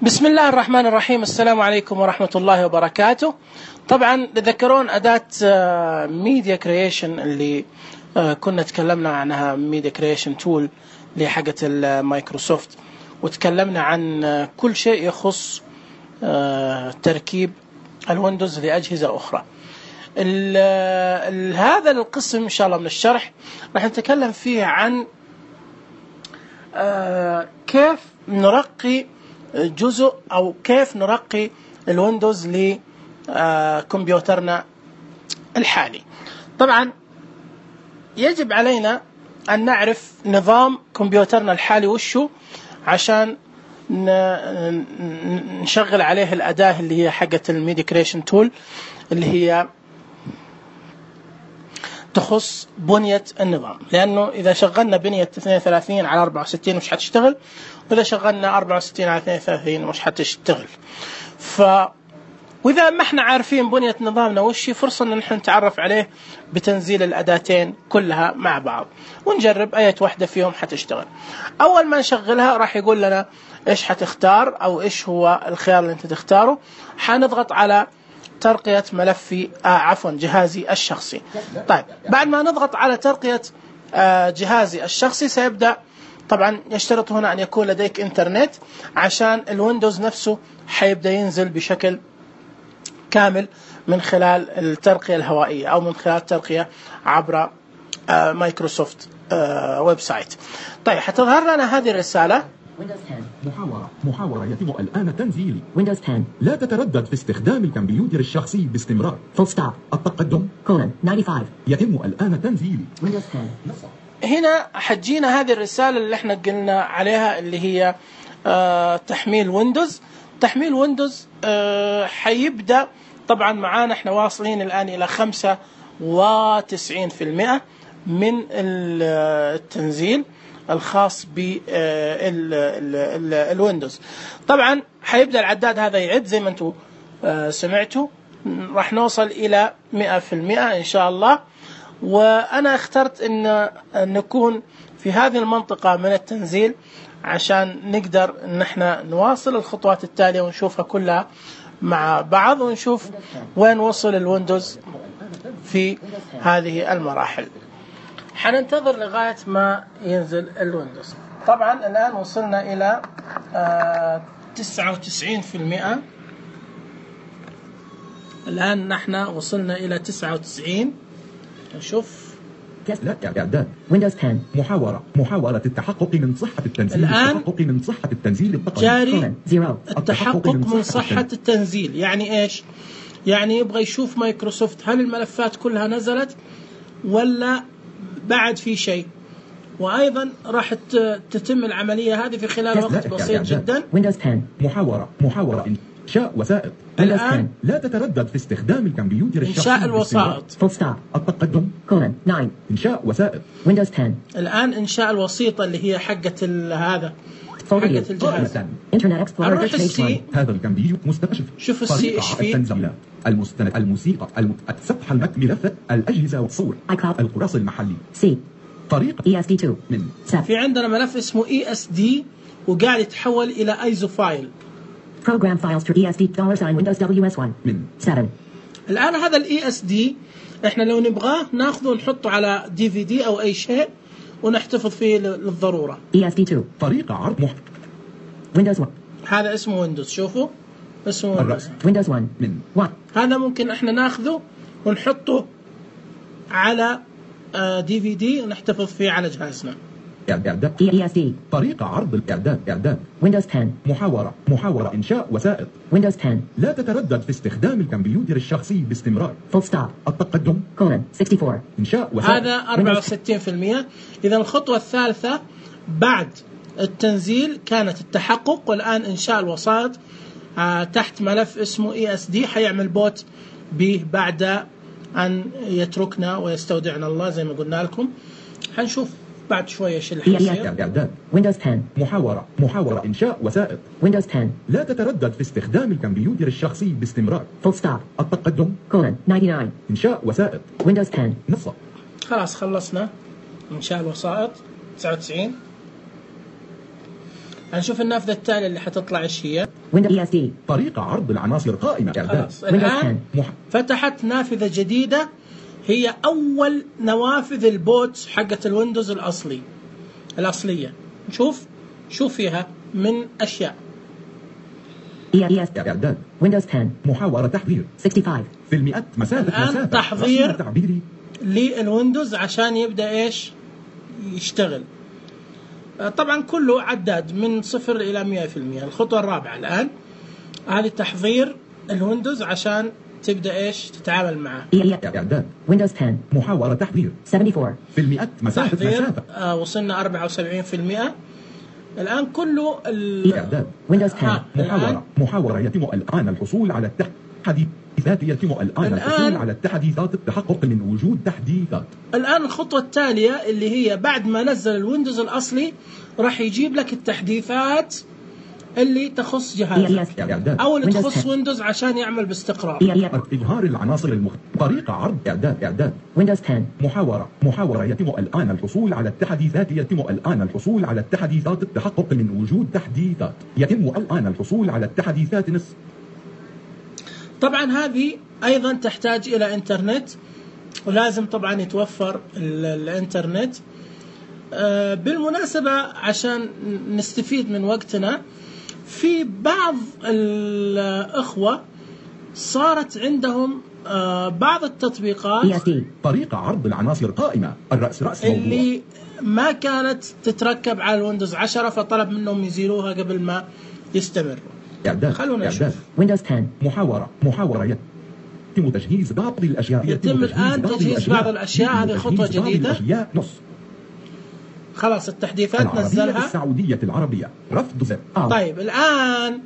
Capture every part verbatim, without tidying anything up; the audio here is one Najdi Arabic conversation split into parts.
بسم الله الرحمن الرحيم. السلام عليكم ورحمة الله وبركاته. طبعا تذكرون أداة ميديا كرييشن اللي كنا تكلمنا عنها، ميديا كرييشن تول اللي حقت المايكروسوفت، وتكلمنا عن كل شيء يخص تركيب الويندوز لأجهزة أخرى. ال ال هذا القسم إن شاء الله من الشرح راح نتكلم فيه عن كيف نرقي جزء أو كيف نرقي الويندوز لكمبيوترنا الحالي. طبعا يجب علينا أن نعرف نظام كمبيوترنا الحالي وشو، عشان نشغل عليه الأداة اللي هي حقة الميديا كرييشن تول، اللي هي تخص بنية النظام. لأنه إذا شغلنا بنية اثنين وثلاثين على أربعة وستين مش حتشتغل، وإذا شغلنا أربعة وستين على اثنين وثلاثين مش حتشتغل. ف وإذا ما احنا عارفين بنية نظامنا وشي، فرصة أن نحن نتعرف عليه بتنزيل الأداتين كلها مع بعض ونجرب أي واحدة فيهم حتشتغل. أول ما نشغلها راح يقول لنا إيش حتختار أو إيش هو الخيار اللي أنت تختاره. حنضغط على ترقية ملفي آه عفوا جهازي الشخصي. طيب بعد ما نضغط على ترقية آه جهازي الشخصي، سيبدأ طبعا يشترط هنا أن يكون لديك إنترنت، عشان الويندوز نفسه حيبدأ ينزل بشكل كامل من خلال الترقية الهوائية أو من خلال الترقية عبر آه مايكروسوفت آه ويب سايت. طيب حتظهر لنا هذه الرسالة: ويندوز عشرة محاورة محاورة يتم الآن تنزيل ويندوز عشرة. لا تتردد في استخدام الكمبيوتر الشخصي باستمرار. فول ستوب. التقدم كولن خمسة وتسعين يتم الآن تنزيل ويندوز عشرة. هنا حتجينا هذه الرسالة اللي احنا قلنا عليها، اللي هي آه تحميل ويندوز. تحميل ويندوز آه حيبدأ طبعا معانا، احنا واصلين الآن إلى خمسة وتسعين بالمئة من التنزيل الخاص بالويندوز. طبعا حيبدأ العداد هذا يعد زي ما انتم سمعتوا، راح نوصل إلى مئة بالمئة إن شاء الله. وأنا اخترت أن نكون في هذه المنطقة من التنزيل عشان نقدر أن احنا نواصل الخطوات التالية ونشوفها كلها مع بعض، ونشوف وين وصل الويندوز في هذه المراحل. حننتظر لغاية ما ينزل الويندوز. طبعا الآن وصلنا إلى آه تسعة وتسعين بالمئة. الآن نحن وصلنا إلى تسعة وتسعين. نشوف لا إعداد ويندوز عشرة محاورة محاولة التحقق من صحة التنزيل. الآن التحقق من صحة التنزيل جاري التحقق من صحة التنزيل. يعني إيش؟ يعني يبغى يشوف مايكروسوفت هل الملفات كلها نزلت ولا بعد في شيء. وأيضا راح تتم العملية هذه في خلال وقت بسيط جدا. ويندوز عشرة محاورة محاورة إنشاء وسائط. الآن لا تتردد في استخدام الكمبيوتر الشخصي. إنشاء الوسائط. فول ستوب. التقدم كولن تسعة. إنشاء وسائط. ويندوز عشرة. الآن إنشاء الوسيطة اللي هي حقة هذا حقة الجهاز. انترنت اكسبلورر. نروح السي. هذا الكمبيوتر مستكشف. شوف السي ايش فيه. التنزيلات، المستند، الموسيقى، السطح الملفات، الأجهزة والصور، القراص المحلي. سي. طريقة إي إس دي اثنين من سب. في عندنا ملف اسمه إي إس دي وقاعد يتحول إلى ايزو فايل. Program files to إي إس دي dollar sign Windows دبليو إس واحد من سبعة. الآن هذا الإي إس دي إحنا لو نبغاه ناخذه ونحطه على دي في دي أو أي شيء ونحتفظ فيه للضرورة. إي إس دي اثنين طريقة عرض محتوى ويندوز واحد. هذا اسمه ويندوز. شوفوا اسمه ويندوز. ويندوز واحد من واحد. هذا ممكن إحنا ناخذه ونحطه على دي في دي ونحتفظ فيه على جهازنا. إعداد إي إس دي طريقة عرض الإعداد. إعداد ويندوز عشرة محاورة محاورة إنشاء وسائط. ويندوز عشرة. لا تتردد في استخدام الكمبيوتر الشخصي باستمرار. فول ستوب. التقدم كولن أربعة وستين إنشاء وسائط. هذا أربعة وستين بالمئة. إذا الخطوة الثالثة بعد التنزيل كانت التحقق، والآن إنشاء الوسائط آه تحت ملف اسمه إي إس دي. حيعمل بوت به بعد أن يتركنا ويستودعنا الله زي ما قلنا لكم. حنشوف بعد شوية ايش اللي حيصير. إعداد ويندوز عشرة محاورة محاورة إنشاء وسائط. ويندوز عشرة. لا تتردد في استخدام الكمبيوتر الشخصي باستمرار. فول ستوب. التقدم كولن تسعة وتسعين إنشاء وسائط. ويندوز عشرة نص. خلاص خلصنا إنشاء الوسائط. تسعة وتسعين هنشوف النافذة التالية اللي حتطلع ايش هي. Windows إي إس دي. طريقة عرض العناصر قائمة إعداد. الآن فتحت نافذة جديدة هي أول نوافذ البوت حقة الويندوز الأصلي الأصلية. نشوف شوف فيها من أشياء. إي إس إعداد. Windows عشرة. محاورة تحضير. خمسة وستين. في المئات مسافة الآن مسافة. تحضير تعبيري للويندوز عشان يبدأ إيش يشتغل. طبعا كله عداد من صفر إلى مئة في المئة. الخطوة الرابعة الآن هذه تحضير الويندوز عشان تبدأ إيش تتعامل معه. إعداد. Windows عشرة. محاورة تحضير. أربعة وسبعين. في المئات مسافة تحضير. مسافة. آه وصلنا أربعة وسبعين في المئة. الآن كله إعداد. Windows عشرة. محاورة محاورة يتم الآن الحصول على التحديثات يتم الآن الحصول على التحديثات التحقق من وجود تحديثات. الآن الخطوة التالية اللي هي بعد ما نزل الويندوز الأصلي راح يجيب لك التحديثات اللي تخص جهازك أو اللي تخص ويندوز عشان يعمل باستقرار. إظهار العناصر المختلفة. طريقة عرض إعداد إعداد. Windows عشرة. محاورة محاورة يتم الآن الحصول على التحديثات يتم الآن الحصول على التحديثات التحقق من وجود تحديثات يتم الآن الحصول على التحديثات نص. طبعا هذه أيضا تحتاج إلى إنترنت ولازم طبعا يتوفر الإنترنت. آه بالمناسبة عشان نستفيد من وقتنا في بعض الأخوة صارت عندهم آه بعض التطبيقات طريقة عرض العناصر قائمة الرأس رأس موضوع اللي ما كانت تتركب على الويندوز عشرة فطلب منهم يزيلوها قبل ما يستمروا. إعداد. خلونا نشوف. Windows عشرة. محاورة محاورة يتم تجهيز بعض الأشياء يتم الآن تجهيز بعض الأشياء. هذه خطوة جديدة. نص. خلاص التحديثات نزلها. السعودية العربية رفض زر. آه. طيب الآن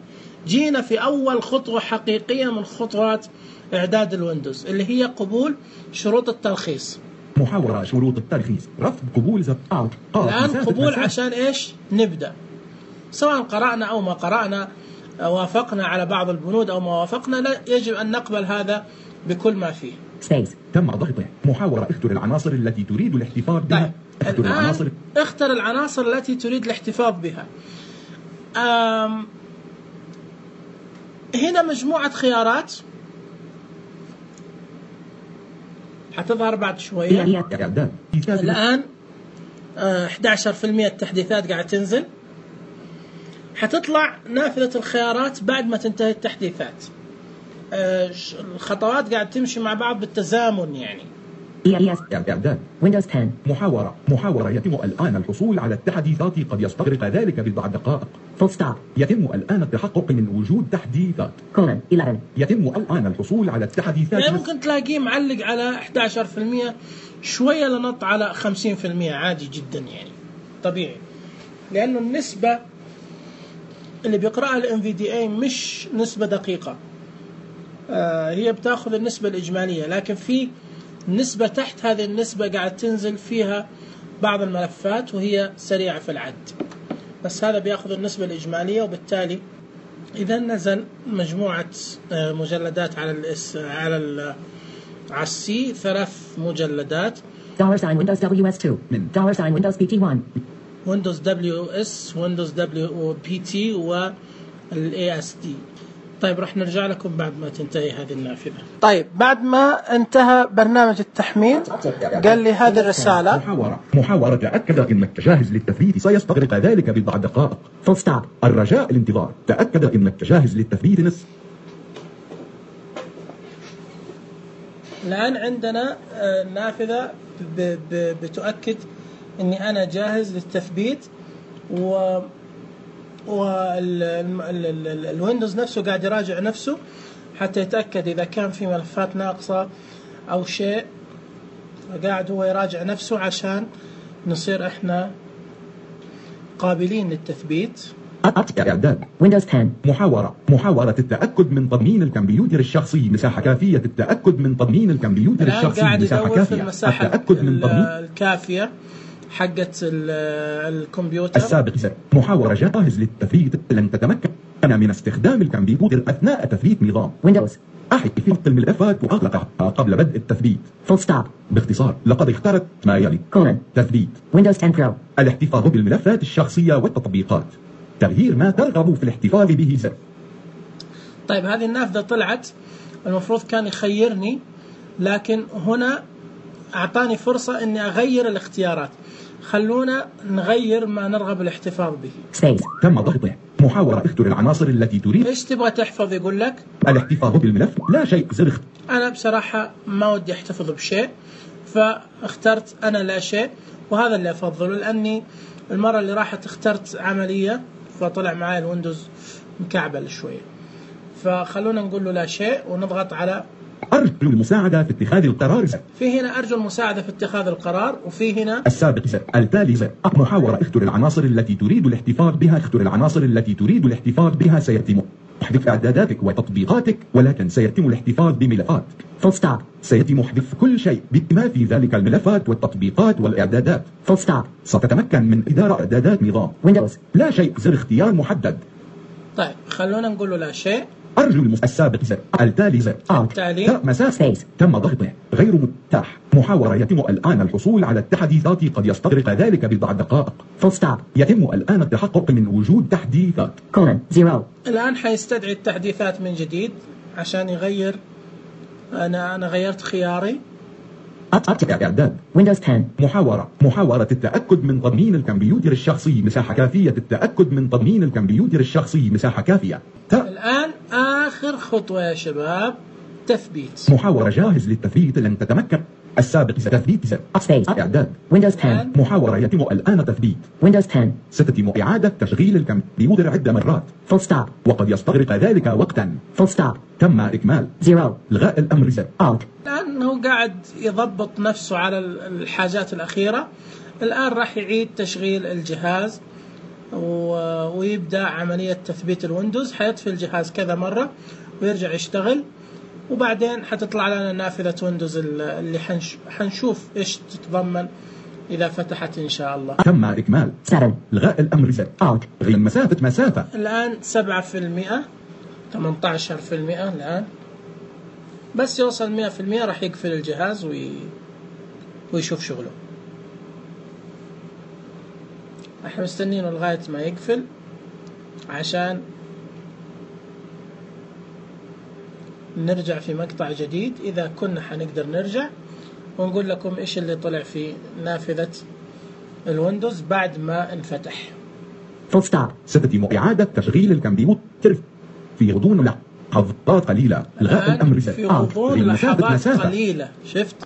جينا في أول خطوة حقيقية من خطوات إعداد الويندوز اللي هي قبول شروط الترخيص. محاورة شروط الترخيص رفض قبول زر. آه. الآن قبول عشان إيش نبدأ سواء قرأنا أو ما قرأنا وافقنا على بعض البنود أو ما وافقنا لا يجب أن نقبل هذا بكل ما فيه. Space. تم ضغطه. محاورة اختر العناصر التي تريد الاحتفاظ بها. طيب. اختر العناصر اختر العناصر التي تريد الاحتفاظ بها. أم هنا مجموعة خيارات حتظهر بعد شوية. إعداد. الآن أحد عشر بالمئة التحديثات قاعد تنزل. حتطلع نافذة الخيارات بعد ما تنتهي التحديثات. الخطوات قاعد تمشي مع بعض بالتزامن يعني. إعداد. Windows عشرة. محاورة محاورة يتم الآن الحصول على التحديثات قد يستغرق ذلك بضع دقائق. Full stop. يتم الآن التحقق من وجود تحديثات. Colon. إحدى عشر. يتم الآن الحصول على التحديثات. يعني ممكن تلاقيه معلق على أحد عشر بالمئة شوية لنط على خمسين بالمئة عادي جدا يعني طبيعي لأنه النسبة اللي بيقرأها ال إن في دي إيه مش نسبة دقيقة. آه هي بتاخذ النسبة الإجمالية لكن في نسبة تحت هذه النسبة قاعد تنزل فيها بعض الملفات وهي سريعة في العد بس هذا بياخذ النسبة الإجمالية وبالتالي إذا نزل مجموعة آه مجلدات على الاس على ال على السي ثلاث مجلدات. Dollar sign Windows دبليو إس اثنين من Dollar sign Windows بي تي واحد. Windows دبليو إس Windows دبليو بي تي وال إيه إس دي. طيب راح نرجع لكم بعد ما تنتهي هذه النافذة. طيب بعد ما انتهى برنامج التحميل قال لي هذه الرسالة. محاورة محاورة تأكد أنك جاهز للتثبيت سيستغرق ذلك بضع دقائق. Full stop. الرجاء الانتظار تأكد أنك جاهز للتثبيت نصف. الآن عندنا نافذة بتؤكد أني أنا جاهز للتثبيت و والويندوز نفسه قاعد يراجع نفسه حتى يتأكد إذا كان في ملفات ناقصة أو شيء قاعد هو يراجع نفسه عشان نصير إحنا قابلين للتثبيت. إعداد. Windows عشرة. محاورة محاورة التأكد من تضمين الكمبيوتر الشخصي مساحة كافية. التأكد من تضمين الكمبيوتر الشخصي مساحة كافية. التأكد من تضمين الكافية حقة الكمبيوتر السابق. محاورة جاهز للتثبيت. لن تتمكن من استخدام الكمبيوتر أثناء تثبيت نظام Windows. أحد في خط الملفات وأغلقها قبل بدء التثبيت. Full stop. باختصار لقد اخترت ما يلي. Colon. تثبيت. Windows عشرة Pro. الاحتفاظ بالملفات الشخصية والتطبيقات. تغيير ما ترغب في الاحتفاظ به زر. طيب هذه النافذة طلعت، المفروض كان يخيرني، لكن هنا أعطاني فرصة إني أغير الاختيارات. خلونا نغير ما نرغب الاحتفاظ به. Space. تم ضغطه. محاورة اختر العناصر التي تريد. إيش تبغى تحفظ؟ يقول لك الاحتفاظ بالملف لا شيء زر اختر. أنا بصراحة ما ودي أحتفظ بشيء، فاخترت أنا لا شيء، وهذا اللي أفضله، لأني المرة اللي راحت اخترت عملية فطلع معي الويندوز مكعبل شوية. فخلونا نقول له لا شيء ونضغط على أرجو المساعدة في اتخاذ القرار زر. في هنا أرجو المساعدة في اتخاذ القرار، وفي هنا السابق زر. التالي زر. محاورة اختر العناصر التي تريد الاحتفاظ بها. اختر العناصر التي تريد الاحتفاظ بها. سيتم حذف إعداداتك وتطبيقاتك، ولكن سيتم الاحتفاظ بملفاتك. Full stop. سيتم حذف كل شيء بما في ذلك الملفات والتطبيقات والإعدادات. Full stop. ستتمكن من إدارة إعدادات نظام Windows. لا شيء زر اختيار محدد. طيب خلونا نقول له لا شيء. أرجو المس... السابق زر. التالي زر. التالي تاء مسافة. Space. تم ضغطه. غير متاح. محاورة يتم الآن الحصول على التحديثات، قد يستغرق ذلك بضع دقائق. Full stop. يتم الآن التحقق من وجود تحديثات. Colon. Zero. الآن حيستدعي التحديثات من جديد عشان يغير. أنا أنا غيرت خياري. إعداد. Windows ten. محاورة. محاورة التأكد من تضمين الكمبيوتر الشخصي. مساحة كافية. التأكد من تضمين الكمبيوتر الشخصي. مساحة كافية. تاء. الآن آخر خطوة يا شباب، تثبيت. محاورة جاهز للتثبيت. لن تتمكن. السابق تثبيت زر. Space. إعداد. Windows ten. محاورة يتم الآن تثبيت. Windows ten. ستتم إعادة تشغيل الكمبيوتر عدة مرات. Full stop. وقد يستغرق ذلك وقتا. Full stop. تم إكمال. Zero. إلغاء الأمر زر. Alt. الآن هو قاعد يضبط نفسه على الحاجات الأخيرة. الآن راح يعيد تشغيل الجهاز ويبدأ عملية تثبيت الويندوز. حيطفي الجهاز كذا مرة ويرجع يشتغل، وبعدين حتطلع لنا نافذة ويندوز اللي حنش... حنشوف إيش تتضمن إذا فتحت إن شاء الله. تم إكمال. Seven. إلغاء الأمر زر. Alt. غير مسافة مسافة. الآن سبعة في المئة، ثمانية عشر في المئة الآن. بس يوصل مئة في المئة راح يقفل الجهاز وي... ويشوف شغله. احنا مستنينه لغاية ما يقفل عشان نرجع في مقطع جديد، إذا كنا حنقدر نرجع ونقول لكم إيش اللي طلع في نافذة الويندوز بعد ما انفتح. Full stop. ستتم إعادة تشغيل الكمبيوتر في غضون لحظات قليلة. إلغاء الأمر زر. في غضون مسافة لحظات مسافة. قليلة. شفت؟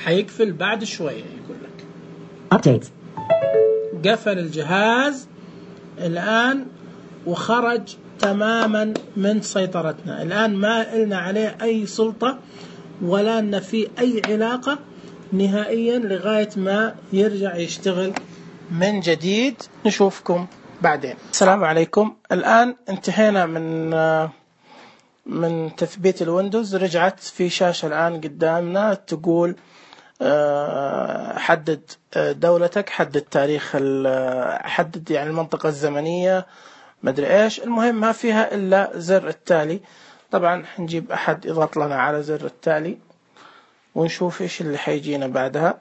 حيقفل بعد شوية يقول لك. Updates. قفل الجهاز الآن وخرج تماما من سيطرتنا. الآن ما إلنا عليه أي سلطة ولا لنا فيه أي علاقة نهائيا لغاية ما يرجع يشتغل من جديد. نشوفكم بعدين. السلام عليكم. الآن انتهينا من من تثبيت الويندوز. رجعت في شاشة الآن قدامنا تقول حدد دولتك، حدد تاريخ، حدد يعني المنطقة الزمنية، مدري إيش. المهم ما فيها إلا زر التالي. طبعا نجيب أحد يضغط لنا على زر التالي ونشوف إيش اللي حيجينا بعدها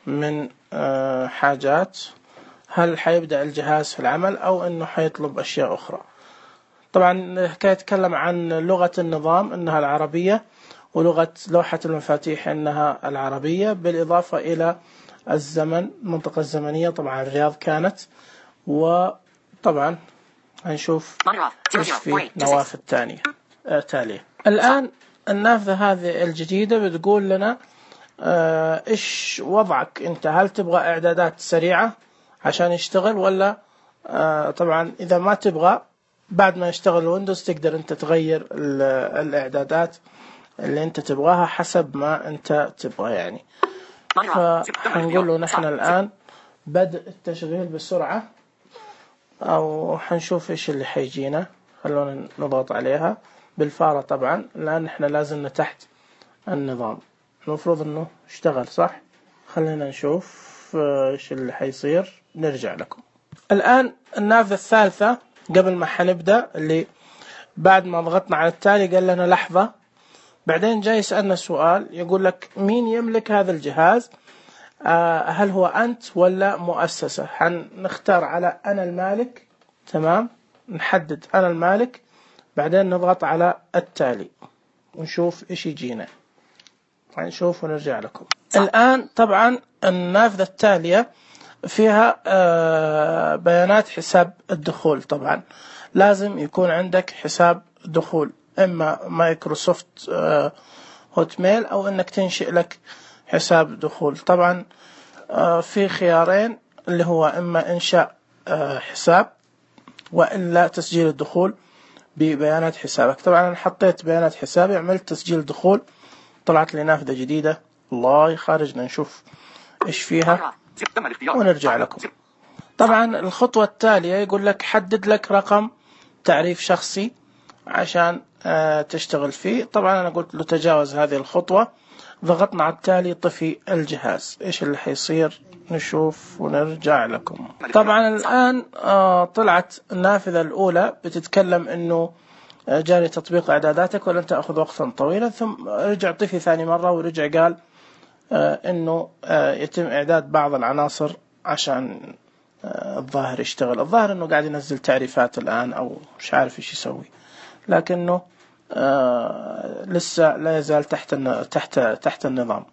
من حاجات. هل حيبدأ الجهاز في العمل أو إنه حيطلب أشياء أخرى. طبعا حكاية يتكلم عن لغة النظام إنها العربية، ولغة لوحة المفاتيح إنها العربية، بالإضافة إلى الزمن، المنطقة الزمنية طبعا الرياض كانت. وطبعا هنشوف إيش في نوافذ تانية آه تالية. الآن النافذة هذه الجديدة بتقول لنا آه إيش وضعك أنت، هل تبغى إعدادات سريعة عشان يشتغل ولا آه طبعا إذا ما تبغى بعد ما يشتغل الويندوز تقدر أنت تغير الإعدادات اللي أنت تبغاها حسب ما أنت تبغى يعني. فهنقول له نحن الآن بدء التشغيل بسرعة، أو حنشوف إيش اللي حيجينا. خلونا نضغط عليها بالفارة طبعا لأن إحنا لازلنا تحت النظام. المفروض إنه اشتغل صح. خلينا نشوف إيش اللي حيصير نرجع لكم. الآن النافذة الثالثة قبل ما حنبدأ، اللي بعد ما ضغطنا على التالي قال لنا لحظة، بعدين جاي يسألنا سؤال يقول لك مين يملك هذا الجهاز، آه هل هو أنت ولا مؤسسة. حنختار على أنا المالك. تمام. نحدد أنا المالك، بعدين نضغط على التالي ونشوف إيش يجينا. نشوف ونرجع لكم. الآن طبعا النافذة التالية فيها بيانات حساب الدخول. طبعا لازم يكون عندك حساب دخول، إما مايكروسوفت هوت ميل أو إنك تنشئ لك حساب دخول. طبعا في خيارين، اللي هو إما إنشاء حساب وإلا تسجيل الدخول ببيانات حسابك. طبعا أنا حطيت بيانات حسابي، عملت تسجيل دخول، طلعت لي نافذة جديدة. الله خارجنا نشوف إيش فيها ونرجع لكم. طبعا الخطوة التالية يقول لك حدد لك رقم تعريف شخصي عشان تشتغل فيه. طبعا أنا قلت له تجاوز هذه الخطوة، ضغطنا على التالي طفي الجهاز. إيش اللي حيصير نشوف ونرجع لكم. طبعا الآن طلعت النافذة الأولى بتتكلم إنه جاري تطبيق إعداداتك ولن تأخذ وقتا طويلا، ثم رجع طفي ثاني مرة ورجع قال إنه يتم إعداد بعض العناصر عشان الظاهر يشتغل. الظاهر إنه قاعد ينزل تعريفات الآن أو مش عارف إيش يسوي، لكنه لسه لا يزال تحت تحت تحت النظام.